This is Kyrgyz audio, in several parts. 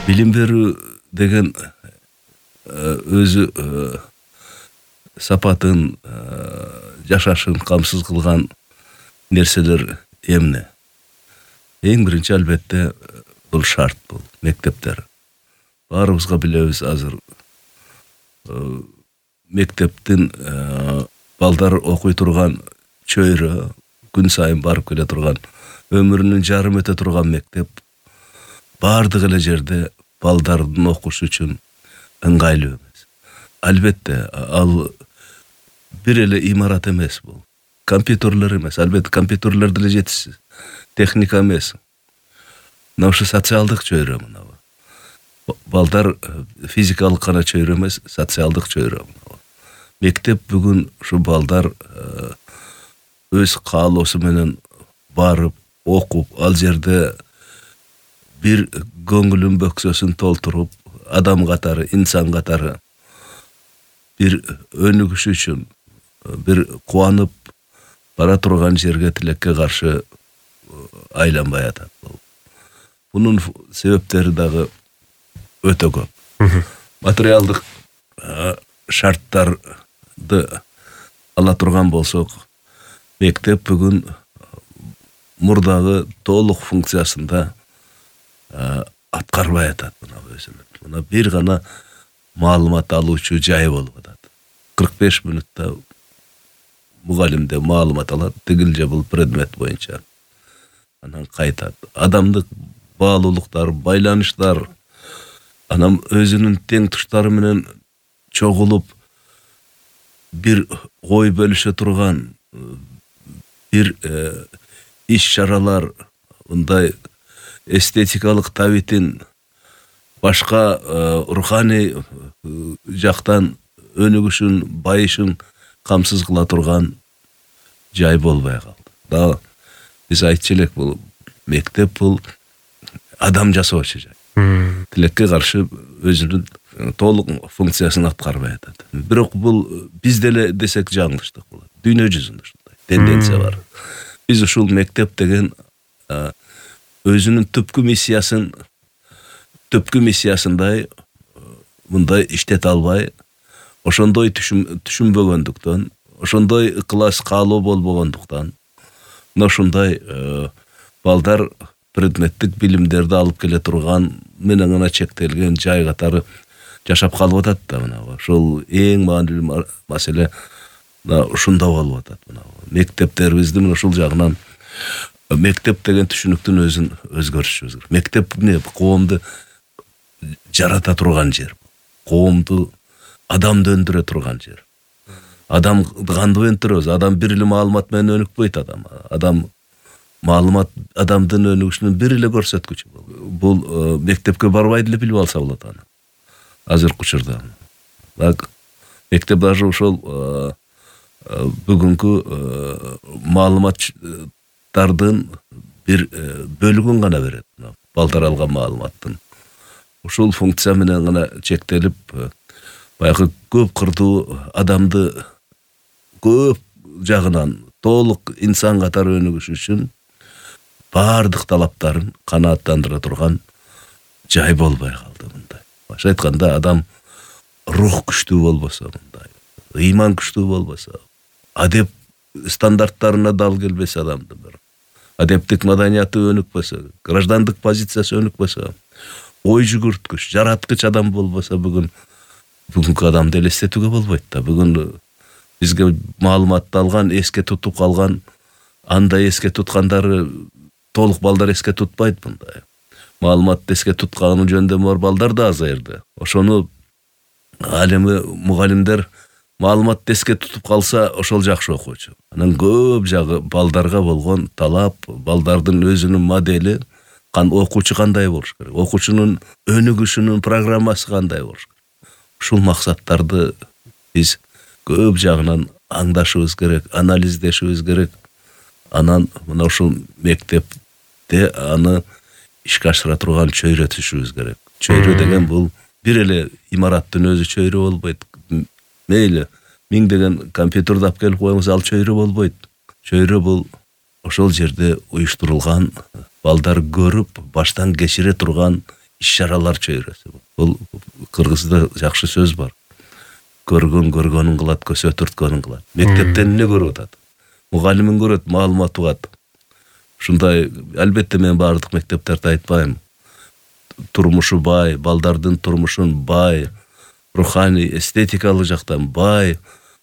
Билим берүү деген өзү сапатын, жашашын камсыз кылган нерселер эмне? Эң биринчи албетте бул шарт, бул мектептер. Баарыбызга билебиз азыр мектептин балдар окуй турган чөйрө, күн сайын барып келе турган, өмүрүнүн жарым өтө турган мектеп баардык эле жерде балдардын окушу үчүн ыңгайлуу эмес. Албетте ал бир эле имарат эмес бул. Компьютерлер эмес, албетте компьютерлер деле жетишсиз. Техника эмес. Мына ушу социалдык чөйрө мына. Балдар физикалык гана чөйрө эмес, социалдык чөйрө. Мектеп бүгүн ушу балдар өз каалоосу менен барып, окуп, ал жерде бир көңүлүн бөксөсүн толтуруп, адам катары, инсан катары бир өнүгүш үчүн, бир кубанып бара турган жерге тилекке каршы айланбай атат. Бунун себептери дагы өтө көп. Материалдык шарттарды ала турган болсок, мектеп бүгүн мурдагы толук функциясында аткарбай атат мына өзүнүн. Мына бир гана маалымат алуучу жай болуп атат. 45 мүнөттө мугалимде маалымат алат, тигил же бул предмет боюнча. Анан кайтат. Адамдык баалуулуктар, байланыштар, анан өзүнүн тең туштары менен чогулуп бир ой бөлүшө турган бир иш-чаралар, мындай эстетикалык табитин башка руханий жактан өнүгүшүн, байышын камсыз кыла турган жай болбой калды. Да биз айтчу элек, бул мектеп бул адам жасоочу жай. Тилекке каршы өзүнүн толук функциясын аткарбай атат. Бирок бул биз деле десек жаңылыштык болот. Дүйнө жүзүндө ушундай тенденция бар. Биз ушул мектеп деген өзүнүн түпкү миссиясындай мындай иштете албай, ошондой түшүнбөгөндүктөн, ошондой ыкылас каалоо болбогондуктан, мына ушундай балдар предметтик билимдерди алып келе турган менен гана чектелген жай катары жашап калып атат да. Мына ошол эң маанилүү маселе ушунда болуп атат. Мына мектептерибизди мына ушул жагынан, мектеп деген түшүнүктүн өзүн өзгөртүшүбүз керек. Мектеп эмне? Коомду жарата турган жер. Коомду, адамды өндүрө турган жер. Адамды кантип өндүрөбүз? Адам бир эле маалымат менен өнүкпөйт. Адам маалымат адамдын өнүгүшүнүн бир эле көрсөткүчү. Бул мектепке барбай деле билип алса болот аны. Азыркы учурда. Мектеп даже ошол бүгүнкү маалыматтардын бир бөлүгүн гана берет. Балдар алган маалыматтын. Ушул функция менен гана чектелип, баягы көп кырдуу адамды көп жагынан толук инсан катары өнүгүш үчүн баардык талаптарын канааттандыра турган жай болбой калды мындай. Башка айтканда, адам рух күчтүү болбосо, мындай ыйман күчтүү болбосо, адеп стандарттарына дал келбесе адамдын бир, адептик маданияты өнүкпөсө, граждандык позициясы өнүкпөсө, ой жүгүрткүч, жараткыч адам болбосо, бүгүнкү адамды элестетүүгө болбойт да. Бүгүн бизге маалыматты алган, эске тутуп калган, андай эске туткандары толук балдар эске тутпайт мындай. Маалыматты эске тутканы жөндөмү бар балдар да азайды. Ошону ал эми мугалимдер маалыматты эске тутуп калса, ошол жакшы окуучу. Анан көп жагы балдарга болгон талап, балдардын өзүнүн модели, окуучу кандай болуш керек, окуучунун өнүгүшүнүн программасы кандай болуш керек. Ушул максаттарды биз көп жагынан аңдашыбыз керек, анализдешибиз керек. Анан мына ушул мектепте аны ишке ашыра турган чөйрө түшүбүз керек. Чөйрө деген бул бир эле имараттын өзү чөйрө болбойт. Мейли 1000 деген компьютерди алып келип коюңуз, ал чөйрө болбойт. Чөйрө бул ошол жерде уюштурулган, балдар көрүп, баштан кечире турган иш-чаралар чөйрөсү. Бул кыргызда жакшы сөз бар. Көргөнүн кылат, көсө түрткөнүн кылат. Мектептен эмне көрүп атат? Мугалимин көрөт, маалымат угат. Ушундай, албетте мен баардык мектептерди айтпайм. Турмушу бай, балдардын турмушун бай, руханий, эстетикалык жактан бай,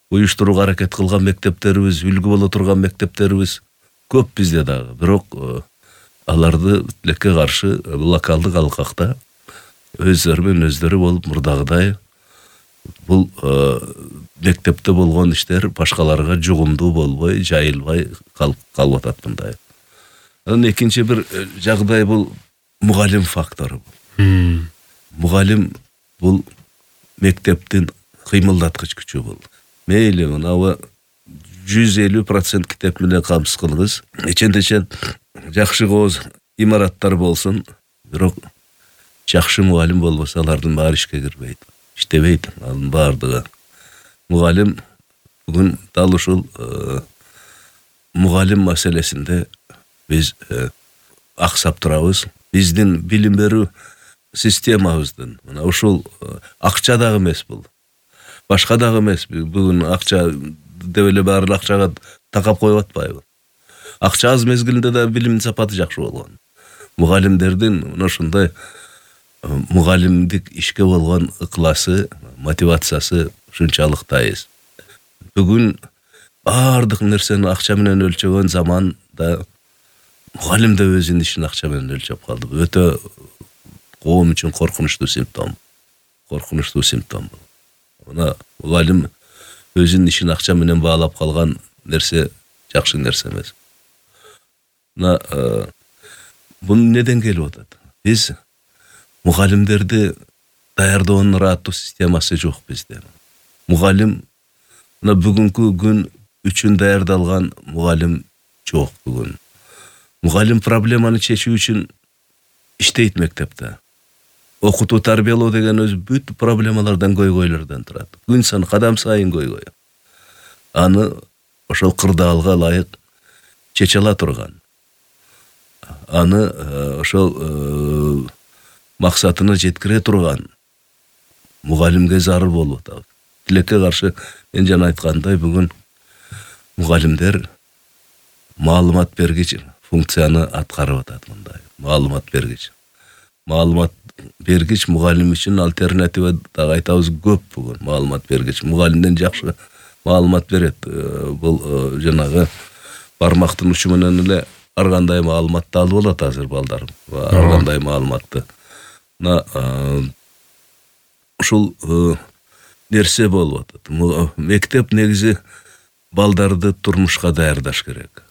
уюштурууга аракет кылган мектептерибиз, үлгү боло турган мектептерибиз көп бизде дагы. Бирок аларды тилекке каршы локалдык алкакта өздөрү менен өздөрү болуп мурдагыдай бул мектепте болгон иштер башкаларга жугумдуу болбой, жайылбай калып атат мындай. Анан экинчи бир жагдай бул мугалим фактору. Мугалим бул мектептин кыймылдаткыч күчү бул. Мейли мынабы 150% китеп менен камсыз кылыңыз. Эчен жакшы кооз имараттар болсун, бирок жакшы мугалим болбосо алардын баары ишке кирбейт, иштебейт. Анын баардыгы мугалим бүгүн дал ушул мугалим маселесинде биз аксап турабыз. Биздин билим берүү системабыздын мына ушул акча дагы эмес бул. Башка дагы эмес. Бүгүн акча деп эле баары акчага такап коюп атпайбы? Акча аз мезгилинде да билимдин сапаты жакшы болгон. Мугалимдердин мына ушундай мугалимдик ишке болгон ыкласы, мотивациясы ушунчалык тайыз. Бүгүн баардык нерсени акча менен өлчөгөн заманда мугалим да өзүнүн ишин акча менен өлчөп калды. Өтө коом үчүн коркунучтуу симптом. Коркунучтуу симптом. Мына мугалим өзүнүн ишин акча менен баалап калган нерсе жакшы нерсе эмес. Мына бул неден келип атат? Биз мугалимдерди даярдоонун ырааттуу системасы жок бизде. Мугалим мына бүгүнкү күн үчүн даярдалган мугалим жок бүгүн. Мугалим проблеманы чечүү үчүн иштейт мектепте. Окутуу, тарбиялоо деген өзү бүт проблемалардан көйгөйлөрдөн турат. Күн сан кадам сайын көйгөй. Аны ошол кырдаалга ылайык чече ала турган. Аны ошол максатына жеткире турган мугалимге зарыл болуп атат. Тилекке каршы мен жана айткандай бүгүн мугалимдер маалымат бергич функцияны аткарып атат мындай. Маалымат бергич. Маалымат бергич мугалим үчүн альтернатива дагы айтабыз көп бүгүн. Маалымат бергич мугалимден жакшы маалымат берет. Бул жанагы бармактын учу менен эле ар кандай маалыматты алып алат азыр балдар. Ар кандай маалыматты. Мына ушул нерсе болуп атат. Мектеп негизи балдарды турмушка даярдаш керек.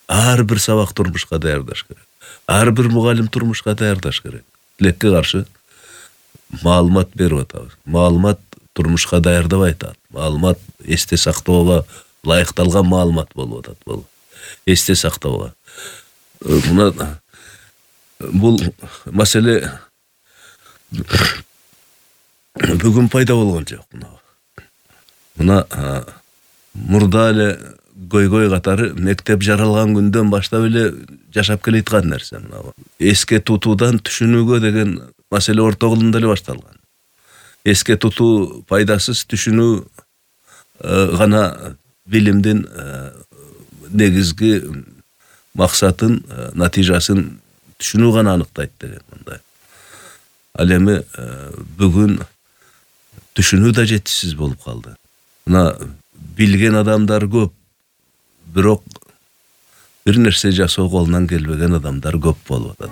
Ар бир сабак турмушка даярдаш керек. Ар бир мугалим турмушка даярдаш керек. Тилекке каршы маалымат берип атабыз. Маалымат турмушка даярдабай атат. Маалымат эсте сактоого ылайыкталган маалымат болуп атат бул. Эсте сактоого. Мына бул маселе бүгүн пайда болгон жок. Мына мурда эле көйгөй катары мектеп жаралган күндөн баштап эле жашап келаткан нерсе мына. Эске тутуудан түшүнүүгө деген маселе орто кылымда эле башталган. Эске тутуу пайдасыз, түшүнүү гана билимдин негизги максатын, натыйжасын түшүнүү гана аныктайт деген мындай. Ал эми бүгүн түшүнүү да жетишсиз болуп калды. Мына билген адамдар көп, бирок бир нерсе жасоо колунан келбеген адамдар көп болуп атат.